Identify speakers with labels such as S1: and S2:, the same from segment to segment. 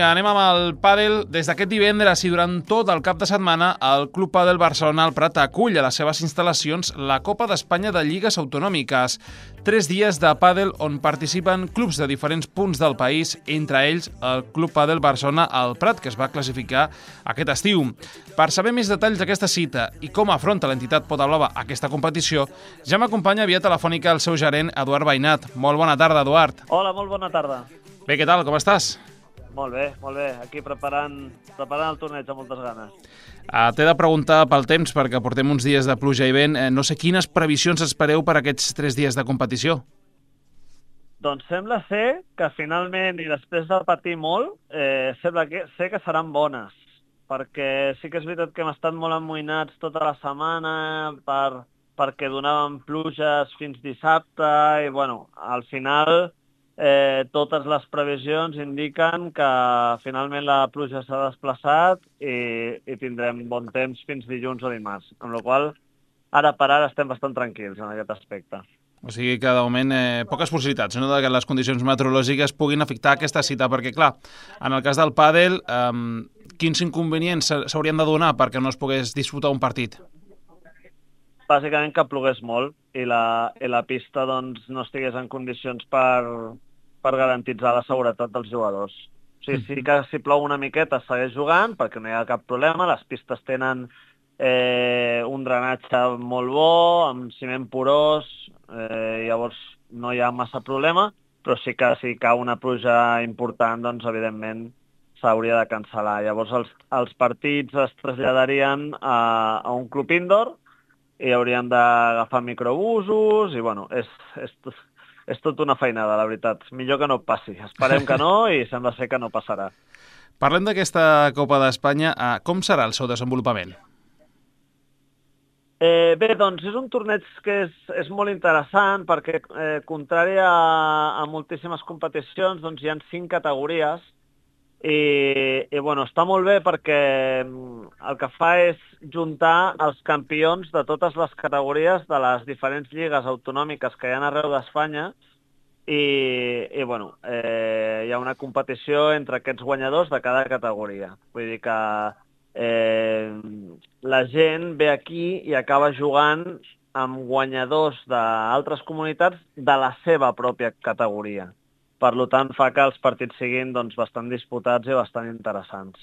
S1: Vinga, anem amb el pàdel. Des d'aquest divendres i durant tot el cap de setmana, el Club Pàdel Barcelona al Prat acull a les seves instal·lacions la Copa d'Espanya de Lligues Autonòmiques. 3 dies de pàdel on participen clubs de diferents punts del país, entre ells el Club Pàdel Barcelona al Prat, que es va classificar aquest estiu. Per saber més detalls d'aquesta cita i com afronta l'entitat Pota Blava aquesta competició, ja m'acompanya via telefònica el seu gerent, Eduard Veïnat. Molt bona tarda, Eduard.
S2: Hola, molt bona tarda.
S1: Bé, què tal? Com estàs?
S2: Molt bé. Aquí preparant el torneig amb moltes ganes.
S1: T'he de preguntar pel temps, perquè portem uns dies de pluja i vent. No sé quines previsions espereu per aquests 3 dies de competició.
S2: Doncs sembla ser que finalment, i després de patir molt, sembla que seran bones, perquè sí que és veritat que hem estat molt amoïnats tota la setmana perquè donaven pluges fins dissabte i, bueno, al final totes les previsions indiquen que finalment la pluja s'ha desplaçat i tindrem bon temps fins dilluns o dimarts, amb la qual cosa ara per ara estem bastant tranquils en aquest aspecte.
S1: O sigui que, de moment, poques possibilitats, no?, de que les condicions meteorològiques puguin afectar aquesta cita, perquè, clar, en el cas del pàdel, quins inconvenients s'haurien de donar perquè no es pogués disputar un partit?
S2: Bàsicament que plogués molt i la pista doncs, no estigués en condicions per garantitzar la seguretat dels jugadors. O sigui, sí que si plou una miqueta es segueix jugant perquè no hi ha cap problema, les pistes tenen un drenatge molt bo, amb ciment porós, llavors no hi ha massa problema, però sí que si cau una pluja important, doncs evidentment s'hauria de cancel·lar. Llavors els partits es traslladarien a un club indoor i haurien d'agafar microbusos i, bueno, és tot una feinada, la veritat. Millor que no passi. Esperem que no i sembla ser que no passarà.
S1: Parlem d'aquesta Copa d'Espanya. Com serà el seu desenvolupament?
S2: Bé, doncs és un torneig que és molt interessant perquè, contrari a moltíssimes competicions, doncs hi ha 5 categories i bueno, està molt bé perquè el que fa és juntar els campions de totes les categories de les diferents lligues autonòmiques que hi ha arreu d'Espanya i bueno, hi ha una competició entre aquests guanyadors de cada categoria. Vull dir que la gent ve aquí i acaba jugant amb guanyadors d'altres comunitats de la seva pròpia categoria. Per tant, fa que els partits siguin doncs, bastant disputats i bastant interessants.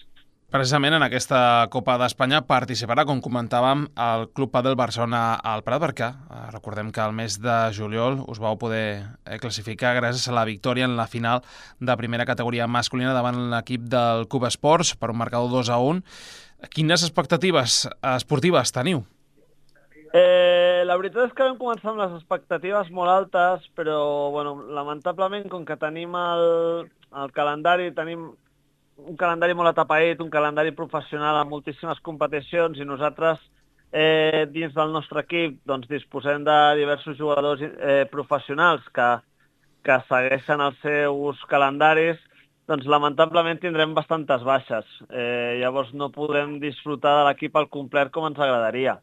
S1: Precisament en aquesta Copa d'Espanya participarà, com comentàvem, el Club Pàdel Barcelona al Prat, perquè recordem que el mes de juliol us vau poder classificar gràcies a la victòria en la final de primera categoria masculina davant l'equip del Cuba Esports per un marcador 2-1. Quines expectatives esportives teniu?
S2: La veritat és que vam començar amb les expectatives molt altes, però bueno, lamentablement, com que tenim el calendari, tenim un calendari molt atapeït, un calendari professional amb moltíssimes competicions i nosaltres dins del nostre equip doncs, disposem de diversos jugadors professionals que segueixen els seus calendaris, doncs lamentablement tindrem bastantes baixes. Llavors no podrem disfrutar de l'equip al complet com ens agradaria.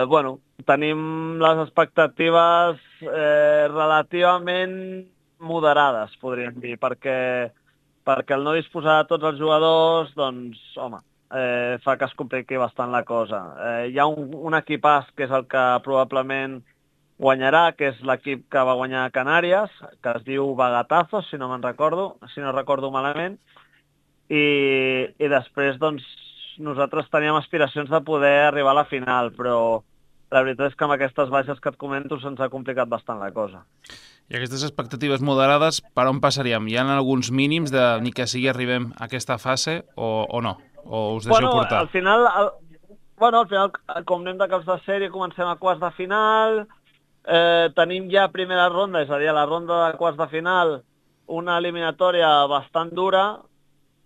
S2: Bueno, tenim les expectatives relativament moderades, podríem dir, perquè el no disposar de tots els jugadors, doncs, home, fa que es compliqui bastant la cosa. Hi ha un equipàs que és el que probablement guanyarà, que és l'equip que va guanyar a Canàries, que es diu Bagatazos, si no recordo malament, i després, doncs, nosaltres teníem aspiracions de poder arribar a la final, però la veritat és que amb aquestes baixes que et comento se'ns ha complicat bastant la cosa.
S1: I aquestes expectatives moderades, per on passaríem? Hi ha alguns mínims de ni que sigui arribem a aquesta fase o no? O us deixeu portar?
S2: Al final, com anem de caps de sèrie, comencem a quarts de final, tenim ja primera ronda, és a dir, a la ronda de quarts de final, una eliminatòria bastant dura,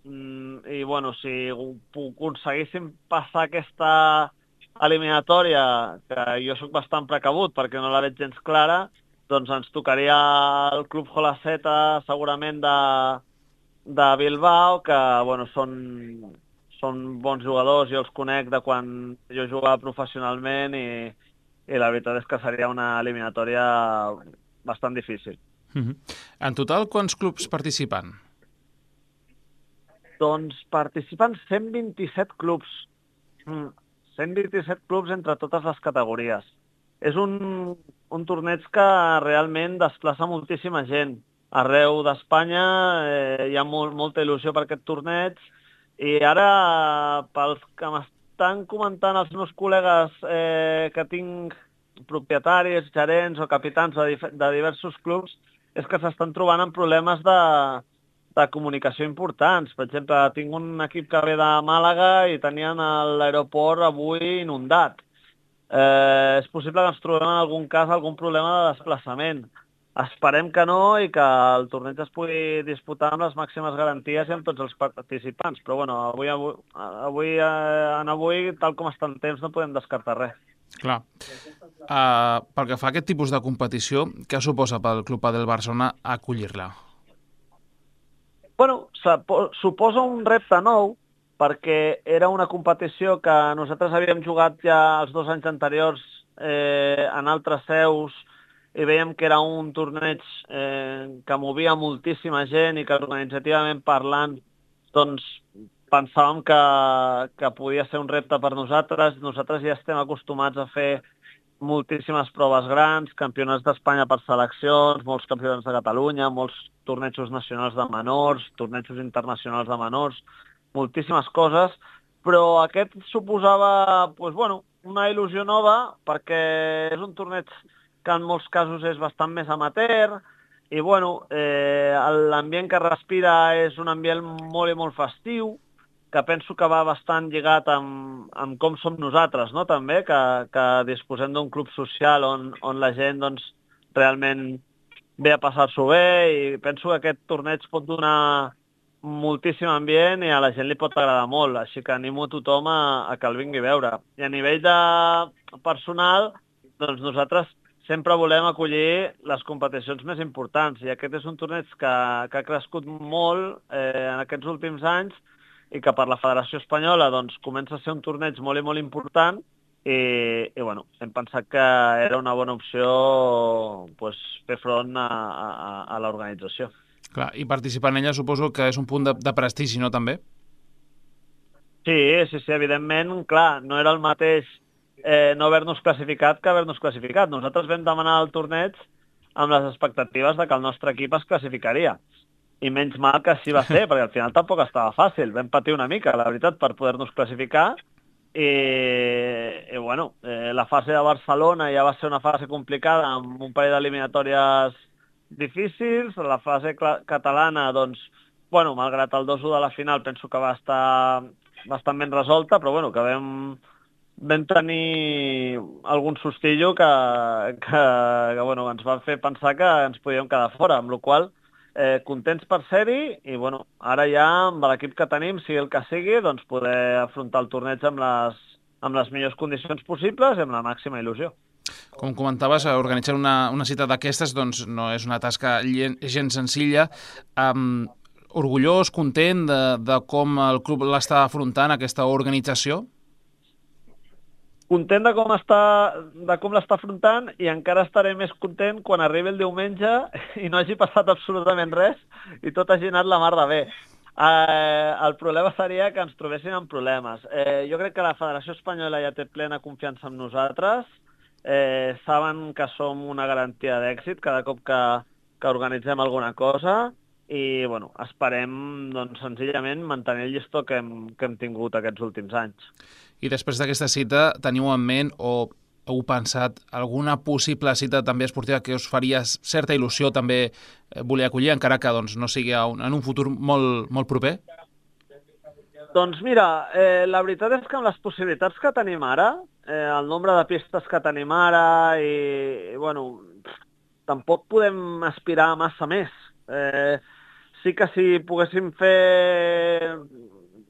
S2: i bueno, si aconseguíssim passar aquesta eliminatòria, que jo sóc bastant precabut perquè no la veig gens clara, doncs ens tocaria el Club Jolaceta segurament de Bilbao, que bueno, són bons jugadors, jo els conec de quan jo jugava professionalment i la veritat és que seria una eliminatòria bastant difícil.
S1: En total, quants clubs participen?
S2: Doncs participen 127 clubs. 127 clubs entre totes les categories. És un torneig que realment desplaça moltíssima gent. Arreu d'Espanya hi ha molta il·lusió per aquest torneig i ara, pels que m'estan comentant els meus col·legues que tinc propietaris, gerents o capitans de diversos clubs, és que s'estan trobant amb problemes de comunicació importants. Per exemple, tinc un equip que ve de Màlaga i tenien l'aeroport avui inundat. És possible que ens trobem en algun cas algun problema de desplaçament. Esperem que no i que el torneig es pugui disputar amb les màximes garanties i amb tots els participants. Però bueno, avui, tal com està el temps, no podem descartar res.
S1: Clar. Pel que fa a aquest tipus de competició, què suposa pel Club Padel Barcelona acollir-la?
S2: Bueno, suposa un repte nou, perquè era una competició que nosaltres havíem jugat ja els 2 anys anteriors en altres seus i veiem que era un torneig que movia moltíssima gent i que organitzativament parlant doncs pensàvem que podia ser un repte per nosaltres. Nosaltres ja estem acostumats a fer moltíssimes proves grans, campionats d'Espanya per seleccions, molts campionats de Catalunya, molts tornejos nacionals de menors, tornejos internacionals de menors, moltíssimes coses, però aquest suposava una il·lusió nova perquè és un torneig que en molts casos és bastant més amateur i l'ambient que respira és un ambient molt i molt festiu, que penso que va bastant lligat amb com som nosaltres, no? També, que disposem d'un club social on la gent doncs, realment ve a passar-s'ho bé i penso que aquest torneig pot donar moltíssim ambient i a la gent li pot agradar molt, així que animo a tothom a que el vingui a veure. I a nivell de personal, doncs nosaltres sempre volem acollir les competicions més importants i aquest és un torneig que ha crescut molt en aquests últims anys i que per la Federació Espanyola doncs, comença a ser un torneig molt i molt important i hem pensat que era una bona opció fer front a l'organització.
S1: Clar, i participar en ella suposo que és un punt de prestigi, no, també?
S2: Sí, evidentment, clar, no era el mateix no haver-nos classificat que haver-nos classificat. Nosaltres vam demanar el torneig amb les expectatives de que el nostre equip es classificaria. I menys mal que així va ser, perquè al final tampoc estava fàcil. Vam patir una mica, la veritat, per poder-nos classificar. La fase de Barcelona ja va ser una fase complicada, amb un parell d'eliminatòries difícils. La fase catalana, doncs, malgrat el 2-1 de la final, penso que va estar bastant ben resolta, però que vam tenir algun sustillo que ens va fer pensar que ens podíem quedar fora, amb la qual cosa contents per ser-hi i ara ja amb l'equip que tenim, sigui el que sigui, doncs poder afrontar el torneig amb les millors condicions possibles i amb la màxima il·lusió.
S1: Com comentaves, organitzar una cita d'aquestes doncs, no és una tasca gens senzilla. Orgullós, content de com el club l'està afrontant, aquesta organització?
S2: Content de com l'està afrontant i encara estaré més content quan arribi el diumenge i no hagi passat absolutament res i tot hagi anat la mar de bé. El problema seria que ens trobéssim amb problemes. Jo crec que la Federació Espanyola ja té plena confiança en nosaltres, saben que som una garantia d'èxit cada cop que organitzem alguna cosa i esperem doncs, senzillament mantenir el llistó que hem tingut aquests últims anys.
S1: I després d'aquesta cita, teniu en ment o heu pensat alguna possible cita també esportiva que us faria certa il·lusió també voler acollir, encara que doncs, no sigui en un futur molt, molt proper?
S2: Doncs mira, la veritat és que amb les possibilitats que tenim ara, el nombre de pistes que tenim ara tampoc podem aspirar massa més. Sí que si poguéssim fer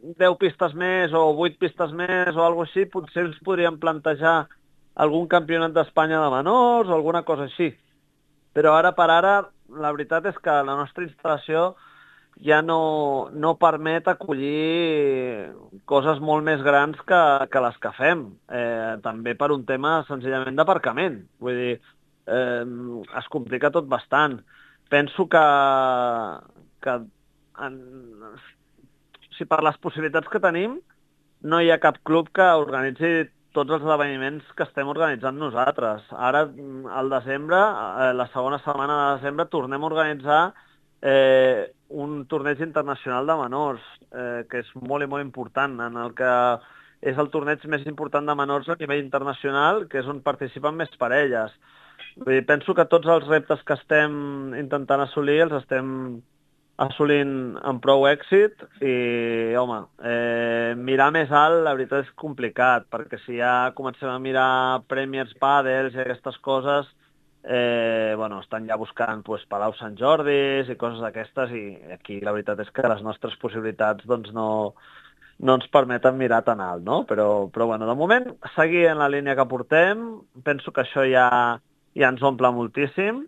S2: 10 pistes més o 8 pistes més o alguna cosa així, potser ens podríem plantejar algun campionat d'Espanya de menors o alguna cosa així. Però ara per ara, la veritat és que la nostra instal·lació ja no permet acollir coses molt més grans que les que fem. També per un tema senzillament d'aparcament. Vull dir, es complica tot bastant. Penso que si per les possibilitats que tenim, no hi ha cap club que organitzi tots els esdeveniments que estem organitzant nosaltres. Ara, al desembre, la segona setmana de desembre, tornem a organitzar un torneig internacional de menors, que és molt i molt important, en el que és el torneig més important de menors a nivell internacional, que és on participen més parelles. Vull dir, penso que tots els reptes que estem intentant assolir els estem assolint amb prou èxit i, home, mirar més alt la veritat és complicat, perquè si ja comencem a mirar Premiers, Padels i aquestes coses, bueno, estan ja buscant pues, Palau Sant Jordis i coses d'aquestes i aquí la veritat és que les nostres possibilitats doncs, no ens permeten mirar tan alt, no? Però bueno, de moment, seguir en la línia que portem, penso que això ja ens omple moltíssim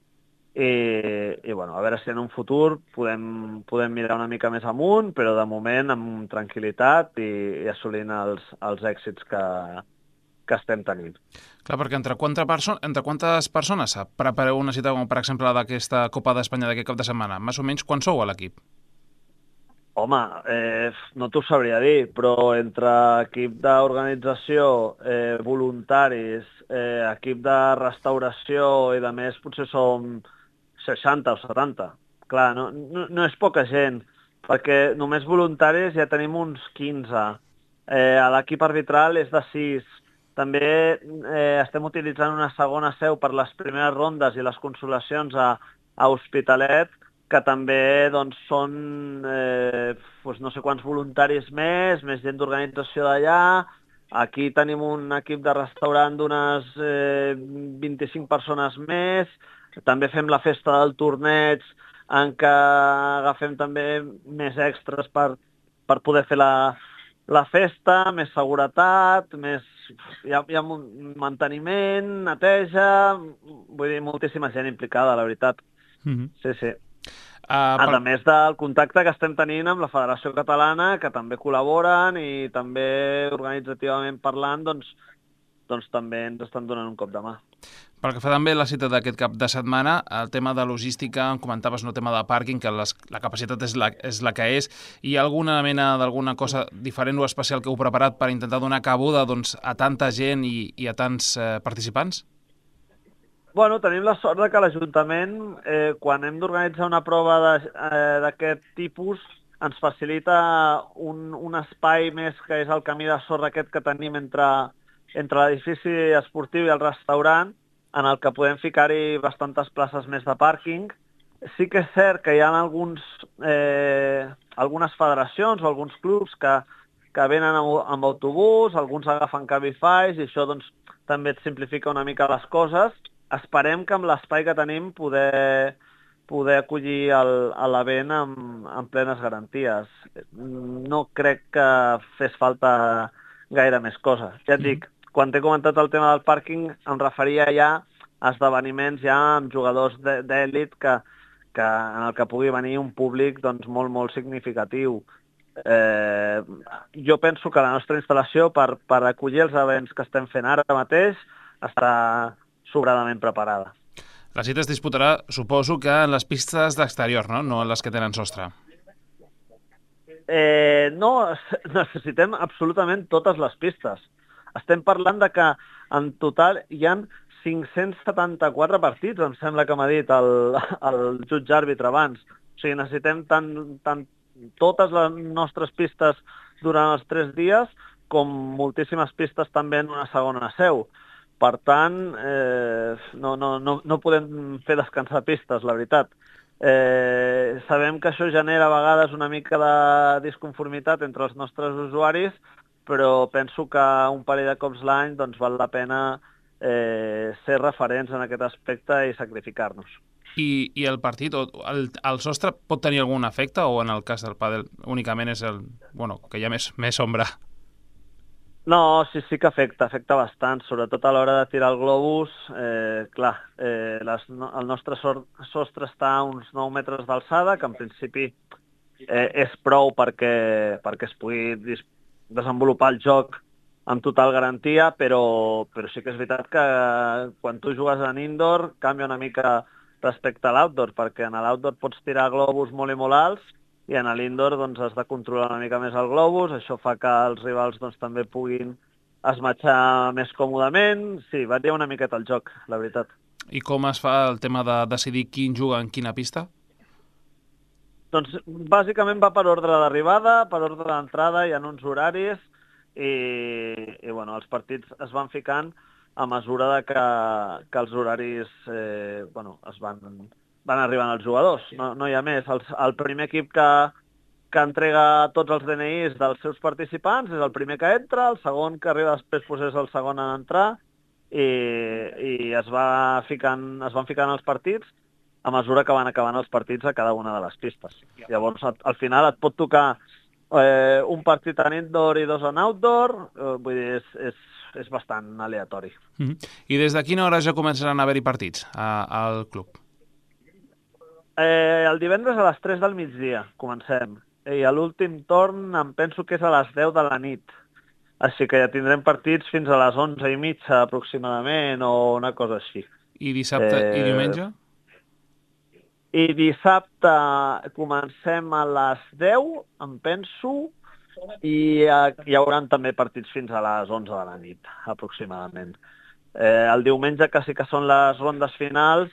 S2: i bueno, a veure si en un futur podem mirar una mica més amunt, però de moment amb tranquil·litat i assolint els èxits que estem tenint.
S1: Clar, perquè entre quantes persones prepareu una cita, com per exemple la d'aquesta Copa d'Espanya d'aquest cap de setmana? Més o menys quan sou a l'equip?
S2: Home, no t'ho sabria dir, però entre equip d'organització, voluntaris, equip de restauració i de més, potser som 60 o 70. Clar, no és poca gent, perquè només voluntaris ja tenim uns 15. L'equip arbitral és de 6. També estem utilitzant una segona seu per les primeres rondes i les consolacions a Hospitalet, que també doncs, són doncs no sé quants voluntaris més gent d'organització d'allà. Aquí tenim un equip de restaurant d'unes 25 persones més. També fem la festa del torneig, en què agafem també més extras per poder fer la festa, més seguretat, hi ha manteniment, neteja, vull dir, moltíssima gent implicada, la veritat. Sí. A més del contacte que estem tenint amb la Federació Catalana, que també col·laboren i també organitzativament parlant, doncs també ens estan donant un cop de mà.
S1: Pel que fa també la cita d'aquest cap de setmana, el tema de logística, em comentaves, no, tema de pàrquing, que la capacitat és la que és. Hi ha alguna mena d'alguna cosa diferent o especial que heu preparat per intentar donar cabuda doncs, a tanta gent i a tants participants?
S2: Bueno, tenim la sort que l'Ajuntament, quan hem d'organitzar una prova d'aquest tipus, ens facilita un espai més que és el camí de sorra aquest que tenim entre l'edifici esportiu i el restaurant, en el que podem ficar-hi bastantes places més de pàrquing. Sí que és cert que hi ha algunes federacions o alguns clubs que venen amb autobús, alguns agafen Cabify i això doncs, també et simplifica una mica les coses. Esperem que amb l'espai que tenim poder acollir l'event amb plenes garanties. No crec que fes falta gaire més coses. Ja et dic, quan t'he comentat el tema del pàrquing em referia ja a esdeveniments ja amb jugadors d'èlit en el que pugui venir un públic doncs, molt, molt significatiu. Jo penso que la nostra instal·lació per acollir els events que estem fent ara mateix està sobradament preparada.
S1: La cita es disputarà, suposo, que en les pistes d'exterior, no en les que tenen sostre.
S2: No, necessitem absolutament totes les pistes. Estem parlant de que en total hi ha 574 partits, em sembla que m'ha dit el jutge àrbitre abans. O sigui, necessitem tant totes les nostres pistes durant els 3 dies com moltíssimes pistes també en una segona seu. Per tant, no podem fer descansar pistes, la veritat. Sabem que això genera a vegades una mica de disconformitat entre els nostres usuaris, però penso que un parell de cops l'any doncs, val la pena ser referents en aquest aspecte i sacrificar-nos.
S1: I el partit, el sostre, pot tenir algun efecte o en el cas del pàdel únicament és que hi ha més ombra?
S2: No, sí que afecta bastant, sobretot a l'hora de tirar el globus. Clar, el nostre sostre està a uns 9 metres d'alçada, que en principi és prou perquè es pugui desenvolupar el joc amb total garantia, però sí que és veritat que quan tu jugues en indoor canvia una mica respecte a l'outdoor, perquè en l'outdoor pots tirar globus molt i molt alts i en l'indoor doncs, has de controlar una mica més el globus, això fa que els rivals doncs, també puguin esmatxar més còmodament. Sí, varia una miqueta el joc, la veritat.
S1: I com es fa el tema de decidir quin juga en quina pista?
S2: Doncs bàsicament va per ordre d'arribada, per ordre d'entrada, hi ha uns horaris i bueno, els partits es van ficant a mesura de que els horaris es van arribant als jugadors. No hi ha més. El primer equip que entrega tots els DNIs dels seus participants és el primer que entra, el segon que arriba després pues, és el segon en entrar i es van ficant els partits a mesura que van acabant els partits a cada una de les pistes. Llavors, al final et pot tocar un partit en indoor i dos en outdoor, vull dir, és bastant aleatori.
S1: I des de quina hora ja començaran a haver-hi partits al club?
S2: El divendres a les 3 del migdia comencem. I a l'últim torn em penso que és a les 10 de la nit. Així que ja tindrem partits fins a les 11:30 aproximadament o una cosa així.
S1: I dissabte i diumenge?
S2: I dissabte comencem a les 10, em penso, i hi haurà també partits fins a les 11 de la nit, aproximadament. El diumenge, que sí que són les rondes finals,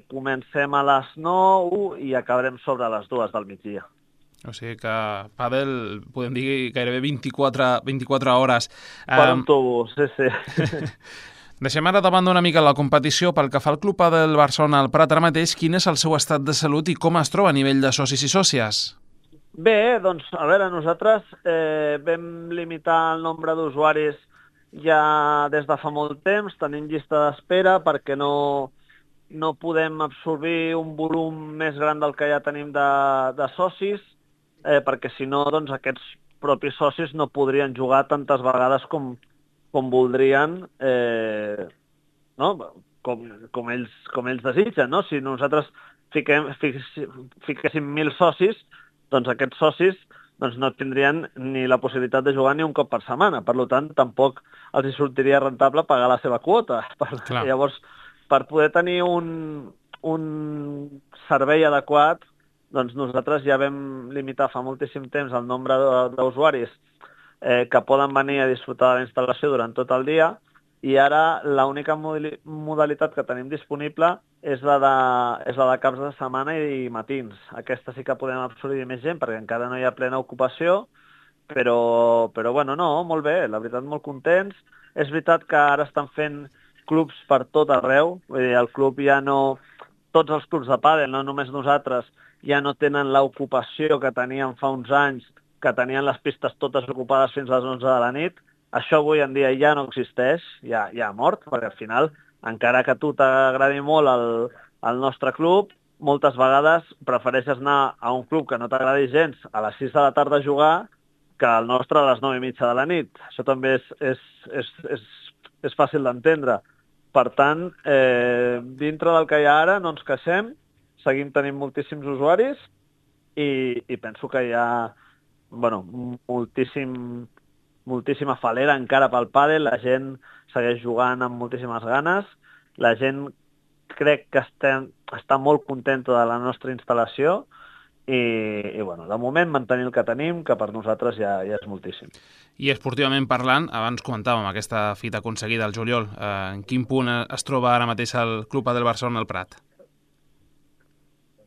S2: comencem a les 9 i acabarem sobre les 2 del migdia.
S1: O sigui que pàdel, podem dir gairebé 24 hores.
S2: Per un tubo, sí.
S1: Deixem ara de banda una mica la competició. Pel que fa al Club Padel Barcelona al Prat ara mateix, quin és el seu estat de salut i com es troba a nivell de socis i sòcies?
S2: Bé, doncs, a veure, nosaltres vam limitar el nombre d'usuaris ja des de fa molt temps, tenim llista d'espera perquè no podem absorbir un volum més gran del que ja tenim de socis, perquè si no, doncs, aquests propis socis no podrien jugar tantes vegades com voldrien, no? com ells desitgen. No? Si nosaltres fiquéssim 1.000 socis, doncs aquests socis no tindrien ni la possibilitat de jugar ni un cop per setmana. Per tant, tampoc els hi sortiria rentable pagar la seva quota. Llavors, per poder tenir un servei adequat, doncs nosaltres ja vam limitar fa moltíssim temps el nombre d'usuaris que poden venir a disfrutar de la instal·lació durant tot el dia, i ara l'única modalitat que tenim disponible és la de caps de setmana i matins. Aquesta sí que podem absorbir més gent perquè encara no hi ha plena ocupació, però bueno, no, molt bé, la veritat, molt contents. És veritat que ara estan fent clubs per tot arreu, vull dir, el club ja no... Tots els clubs de pàdel, no només nosaltres, ja no tenen l'ocupació que teníem fa uns anys, que tenien les pistes totes ocupades fins a les 11 de la nit. Això avui en dia ja no existeix, ja ha mort, perquè al final, encara que a tu t'agradi molt el nostre club, moltes vegades prefereixes anar a un club que no t'agradi gens a les 6 de la tarda a jugar que el nostre a les 9:30 de la nit. Això també és fàcil d'entendre. Per tant, dintre del que hi ha ara no ens queixem, seguim tenint moltíssims usuaris i penso que hi ha moltíssima falera encara pel pàdel, la gent segueix jugant amb moltíssimes ganes, la gent crec que està molt contenta de la nostra instal·lació i bueno, de moment mantenir el que tenim, que per nosaltres ja és moltíssim.
S1: I esportivament parlant, abans comentàvem aquesta fita aconseguida al juliol, en quin punt es troba ara mateix el Club Padel Barcelona al Prat?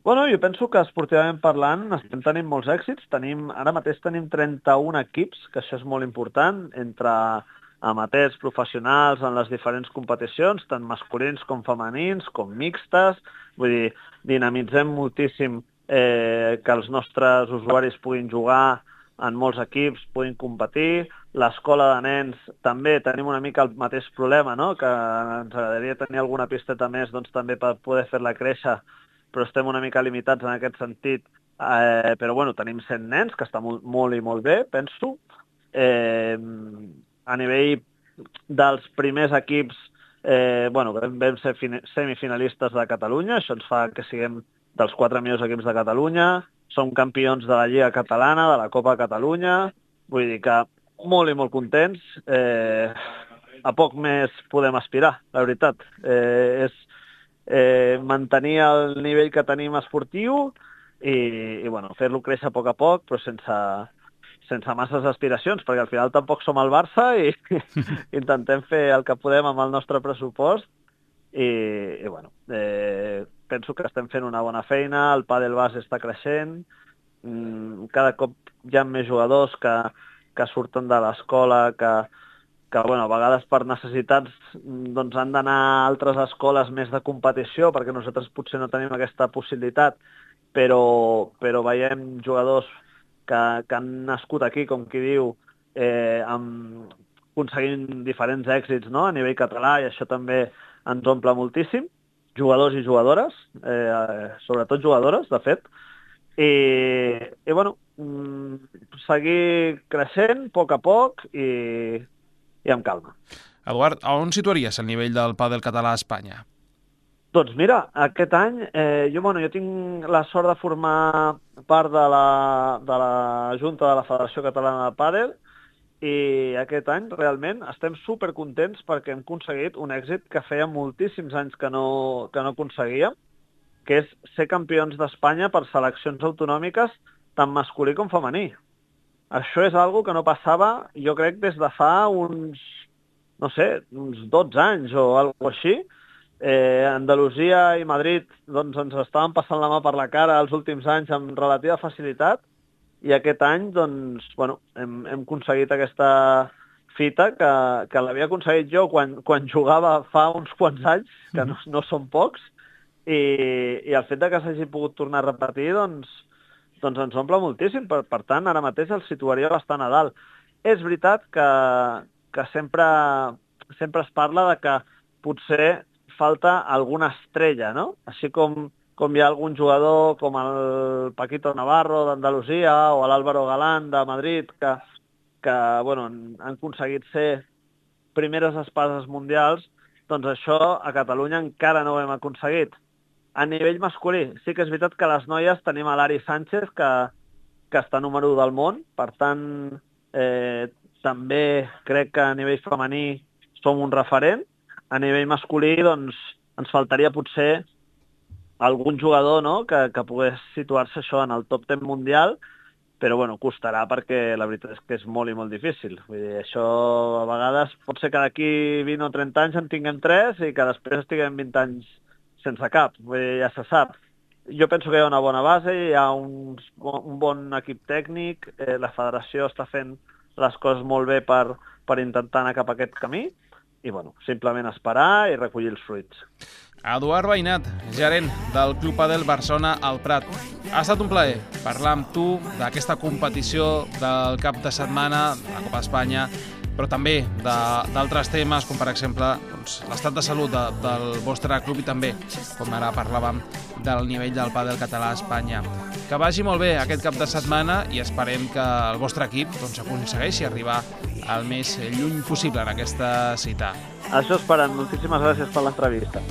S2: Bueno, jo penso que esportivament parlant estem tenint molts èxits. Ara mateix tenim 31 equips, que això és molt important, entre amateurs, professionals, en les diferents competicions, tant masculins com femenins, com mixtes. Vull dir, dinamitzem moltíssim que els nostres usuaris puguin jugar en molts equips, puguin competir. L'escola de nens també tenim una mica el mateix problema, no? Que ens agradaria tenir alguna pisteta més doncs, també per poder fer-la créixer, però estem una mica limitats en aquest sentit. Però bueno, tenim 100 nens, que està molt i molt bé, penso. A nivell dels primers equips, vam ser semifinalistes de Catalunya, això ens fa que siguem dels 4 millors equips de Catalunya, som campions de la Lliga Catalana, de la Copa Catalunya, vull dir que molt i molt contents. A poc més podem aspirar, la veritat. És mantenir el nivell que tenim esportiu i bueno, fer-lo créixer a poc, però sense masses aspiracions, perquè al final tampoc som el Barça i intentem fer el que podem amb el nostre pressupost i bueno, penso que estem fent una bona feina, el pàdel base està creixent, cada cop hi ha més jugadors que surten de l'escola, que bueno, a vegades per necessitats doncs han d'anar a altres escoles més de competició, perquè nosaltres potser no tenim aquesta possibilitat, però veiem jugadors que han nascut aquí, com qui diu, aconseguint diferents èxits, no?, a nivell català, i això també ens omple moltíssim, jugadors i jugadores, sobretot jugadores, de fet, i bueno, seguir creixent a poc i amb calma.
S1: Eduard, a on situaries el nivell del pàdel català a Espanya?
S2: Doncs mira, aquest any jo tinc la sort de formar part de la Junta de la Federació Catalana de Pàdel i aquest any realment estem supercontents perquè hem aconseguit un èxit que feia moltíssims anys que no aconseguíem, que és ser campions d'Espanya per seleccions autonòmiques tant masculí com femení. Això és algo que no passava, jo crec, des de fa uns 12 anys o alguna cosa així. Andalusia i Madrid doncs, ens estaven passant la mà per la cara els últims anys amb relativa facilitat i aquest any doncs, bueno, hem aconseguit aquesta fita que l'havia aconseguit jo quan jugava fa uns quants anys, que no són pocs, i el fet que s'hagi pogut tornar a repetir doncs ens omple moltíssim. Per tant, ara mateix el situaria bastant a dalt. És veritat que sempre es parla de que potser falta alguna estrella, no? Així com hi ha algun jugador com el Paquito Navarro d'Andalusia o l'Álvaro Galán de Madrid que bueno, han aconseguit ser primeres espases mundials, doncs això a Catalunya encara no ho hem aconseguit. A nivell masculí, sí que és veritat que les noies tenim a l'Ari Sánchez, que està número 1 del món, per tant, també crec que a nivell femení som un referent. A nivell masculí, doncs, ens faltaria potser algun jugador, no?, que pogués situar-se això en el top 10 mundial, però bueno, costarà perquè la veritat és que és molt i molt difícil. Vull dir, això a vegades pot ser que d'aquí 20 o 30 anys en tinguem 3 i que després estiguem 20 anys sense cap. Vull dir, ja se sap. Jo penso que hi ha una bona base, hi ha un bon equip tècnic, la federació està fent les coses molt bé per intentar anar cap a aquest camí, i bueno, simplement esperar i recollir els fruits.
S1: Eduard Veïnat, gerent del Club Pàdel Barcelona al Prat. Ha estat un plaer parlar amb tu d'aquesta competició del cap de setmana, de la Copa d'Espanya, però també d'altres temes, com per exemple l'estat de salut del vostre club i també, com ara parlàvem, del nivell del pàdel català a Espanya. Que vagi molt bé aquest cap de setmana i esperem que el vostre equip aconsegueixi arribar al més lluny possible en aquesta cita.
S2: Això esperem. Moltíssimes gràcies per l'entrevista.